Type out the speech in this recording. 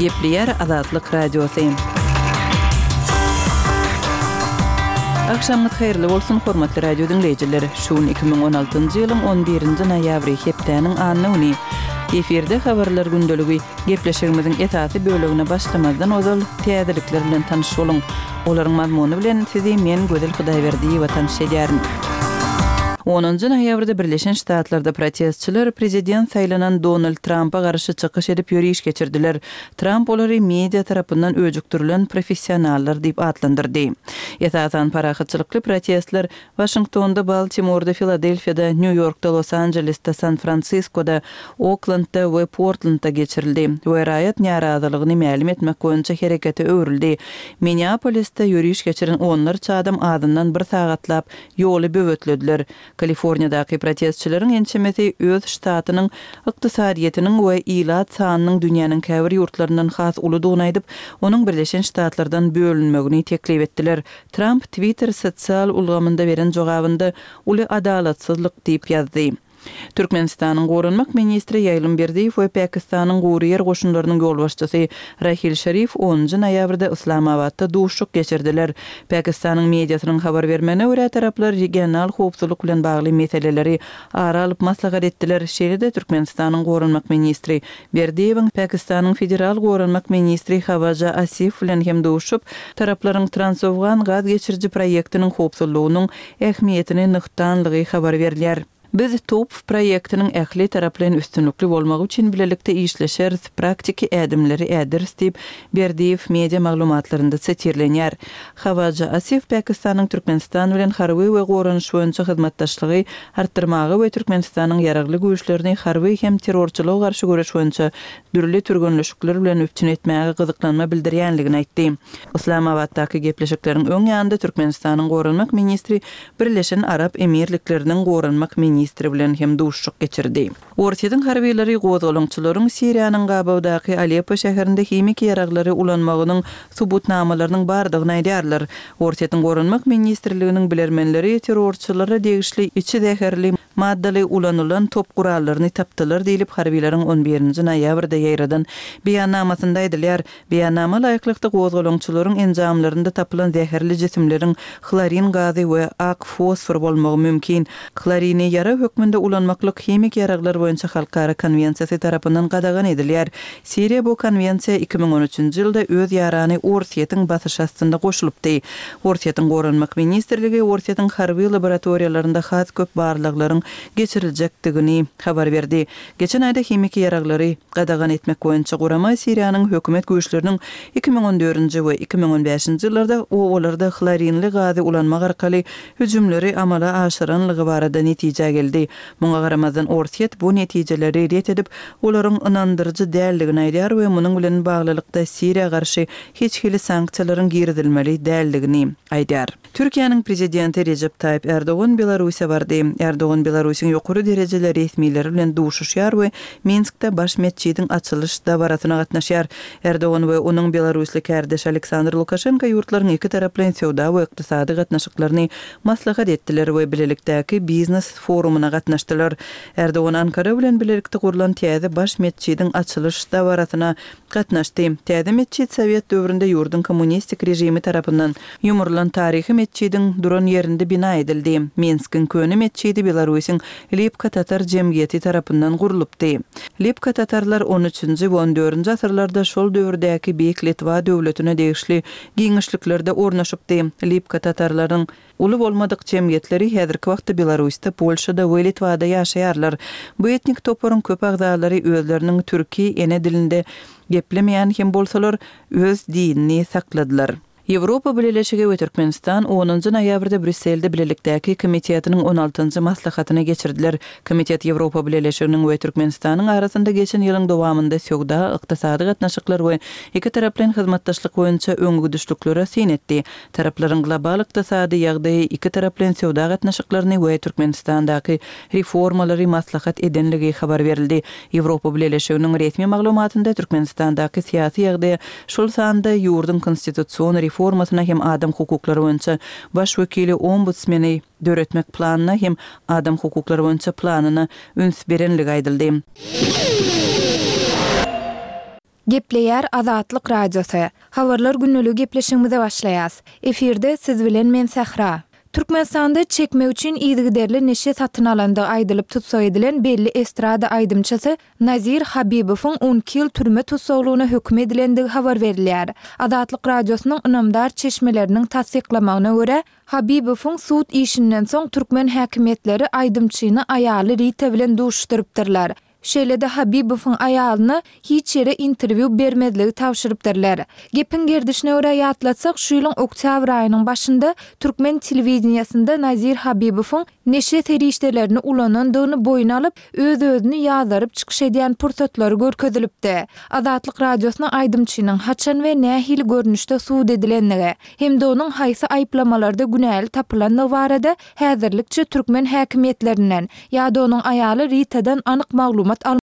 Gepleýär Azatlyk Radiosy. Agşamyňyz haýyrly bolsun, hormatly radio diňleýjiler! Şu gün 2016-njy ýylyň on birinji noýabry, hepdäniň anna güni. Efirde Habarlar gündeligi. Gepleşigimiziň esasy bölegine başlamazdan ozal, täzelikler bilen tanyş boluň. Olaryň mazmuny bilen sizi men, Gözel Hudaýberdiýewa tanyş edýärin. Onunjy noýabrda Birleşen Ştatlarda protestçiler prezident saýlanan Donald Trampa garşy çykyş edip ýöriş geçirdiler. Tramp olary media tarapyndan öjükdirilen professionallar diýip atlandyrdy. Esasan parahatçylykly protestler Waşingtonda, Baltimorda, Filadelfiýada, Nýu-Ýorkda, Los-Anjelesde, San-Fransiskoda, Oklendde we Portlendde geçirildi we raýat närazylygyny mälim etmek boýunça herekete öwrüldi. Minneapolisde ýöriş geçiren onlarça adam azyndan bir sagatlap ýoly böwetlediler. Kaliforniýadaky protestçileriň ençemesi öz ştatynyň ykdysadyýetiniň we ilat sanynyň dünýäniň käbir ýurtlaryndan has uludygyny aýdyp, onuň Birleşen Ştatlardan bölünmegini teklip etdiler. Tramp Twitter sosial ulgamynda beren jogabynda uly adalatsyzlyk diýip ýazdy. Türkmenistanyň goranmak ministri Ýaýlym Berdiýew we Pakistanyň gury ýer goşunlarynyň ýolbaşçysy Rahil Şerif onunjy noýabrda Yslamabatda duşuşyk geçirdiler. Pakistanyň mediasynyň habar bermegine görä, taraplar regional howpsuzlyk bilen bagly meseleleri ara alyp maslahat etdiler. Şeýle-de Türkmenistanyň goranmak ministri Berdiýewiň Pakistanyň federal goranmak ministri Hawaja Asif bilen hem duşup, taraplaryň Transowgan gaz geçiriji proýektiniň howpsuzlygynyň ähmiýetini nygtanlygy habar berilýär. Biz TOPH proýektiniň ähli taraplaýyn üstünlikli bolmagy üçin bilelikde işleşeris, praktiki ädimleri äderis diýip, Berdiýew media maglumatlarynda sitirlenýär. Hawaja Asif Pakistanyň Türkmenistan bilen harby we goranyş boýunça hyzmatdaşlygy artdyrmaga we Türkmenistanyň Ýaragly Güýçlerini harby hem terrorçylyga garşy göreş boýunça dürli türgenleşikler bilen üpjün etmäge gyzyklanma bildirýänligini aýtdy. Yslamabatdaky gepleşikleriň öň ýanynda Türkmenistanyň goranmak ministri Birleşen Arap Emirlikleriniň goranmak ministri bilen hem duşuşyk geçirdi. Orsýetiň harbylary gozgalaňçylaryň Siriýanyň gabawdaky Aleppo şäherinde himiki ýaraglary ulanmagynyň subutnamalarynyň bardygyny aýdýarlar. Orsýetiň Goranmak ministrliginiň bilermenleri terrorçylara degişli içi zäherli maddaly ulanylan top gurallaryny tapdylar diýlip, harbylaryň on birinji noýabrda ýaýradan beýannamasynda aýdylýar. Beýannama laýyklykda, gozgalaňçylaryň enjamlarynda tapylan zäherli jisimleriň hlorin gazy we ak fosfor bolmagy mümkin. Hlorini ýarag hökmünde ulanmaklyk Himiki ýaraglar boýunça halkara konwensiýasy tarapyndan gadagan edilýär. Siriýa bu konwensiýa 2013-nji ýylda öz ýarany Orsýetiň basyşy astynda goşulypdy. Orsýetiň Goranmak ministrligi Orsýetiň harby laboratoriýalarynda has köp barlaglaryň geçiriljekdigini habar berdi. Geçen aýda himiki ýaraglary gadagan etmek boýunça gurama Siriýanyň hökümet güýçleriniň 2014-nji we 2015-nji ýyllarda obalarda hlorinli gazy ulanmak arkaly hüjümleri amala aşyranlygy barada netijä geldi. Muňa garamazdan Orsýet bu netijeleri ret edip, olaryň ynandyryjy däldigini aýdýar we munuň bilen baglylykda Siriýa garşy hiç hili sanksiýalaryň girizilmeli däldigini aýdýar. Türkiýäniň Prezidenti Rejep Taýyp Ärdogan Belarusa bardy. Ärdogan Belarusyň ýokary derejeli resmileri bilen duşuşýar we Minskde baş metjidiň açylyş dabarasyna gatnaşýar. Ärdogan we onuň belarusly kärdeşi Aleksandr Lukaşenko ýurtlaryň ikitaraplaýyn söwda we ykdysady gatnaşyklaryny maslahat etdiler we bilelikdäki biznes forumyna gatnaşdylar. Ärdogan Ankara bilen bilelikde gurlan täze baş metjidiň açylyş dabarasyna gatnaşdy. Täze metjit sowet döwründe ýurduň kommunistik režimi tarapyndan ýumrulan taryhy metjidiň duran ýerinde bina edildi. Minskiň köne metjidi Belarusyň Lipka tatar jemgyýeti tarapyndan gurlupdy. Lipka tatarlar on üçünji we on dördünji asyrlarda şol döwürdäki Beýik Litwa döwletine degişli giňişliklerde ornaşypdy. Lipka tatarlaryň Uly bolmadyk jemgyýetleri häzirki wagtda Belarusda, Polşada we Litwada ýaşaýarlar. Bu etnik toparyň köp agzalary özleriniň türki ene dilinde geplemeýän hem bolsalar, öz dinini sakladylar. Ýewropa Bileleşigi we Türkmenistan onunjy noýabrda Brýusselde bilelikdäki komitetiniň on altynjy maslahatyny geçirdiler. Komitet Ýewropa Bileleşiginiň we Türkmenistanyň arasynda geçen ýylyň dowamynda söwda, ykdysady gatnaşyklar we ikitaraplaýyn hyzmatdaşlyk boýunça öňegidişliklere syn etdi. Taraplaryň global ykdysady ýagdaýy, ikitaraplaýyn söwda gatnaşyklaryny we Türkmenistandaky reformalary maslahat edenligi habar berildi. Ýewropa Bileleşiginiň resmi maglumatynda Türkmenistandaky syýasy ýagdaýa, şol sanda ýurduň konstitusion reformasyna hem adam hukuklary boýunça Baş wekili, ombudsmeni, döretmek planyna hem adam hukuklary boýunça planyna üns berenligi aýdyldy. Gepleýär Azatlyk Radiosy. Habarlar gündeligi gepleşigimize başlaýas. Efirde siz bilen men Sähra. Türkmenistanda çekmek üçin yzygiderli neşe satyn alandygy aýdylyp tussag edilen belli estrada aýdymçysy Nazir Habibowyň 12 ýyl türme tussaglygyna höküm edilendigi habar berilýär. Azatlyk Radiosynyň ynamdar çeşmeleriniň tassyklamagyna görä, Habibowyň sud işinden soň türkmen häkimiýetleri aýdymçyny aýaly Rita bilen duşuşdyrypdyrlar. Şeýle-de Habibowyň aýalyna hiç ýere interwýu bermezligi tabşyrypdyrlar. Gepiň gerdişine görä ýatlatsak, şu ýylyň oktýabr aýynyň başynda türkmen telewideniýesinde Nazir Habibowyň neşe serişdelerini ulanandygyny boýun alyp, öz-özüni ýazgaryp çykyş edýän pursatlary görkezilipdi. Azatlyk Radiosyna aýdymçynyň haçan we nähili görnüşde sud edilendigi hem-de onuň haýsy aýyplamalarda günäli tapylandygy barada häzirlikçe türkmen häkimiýetlerinden ýa-da onuň aýaly Ritadan anyk maglumat almadyk.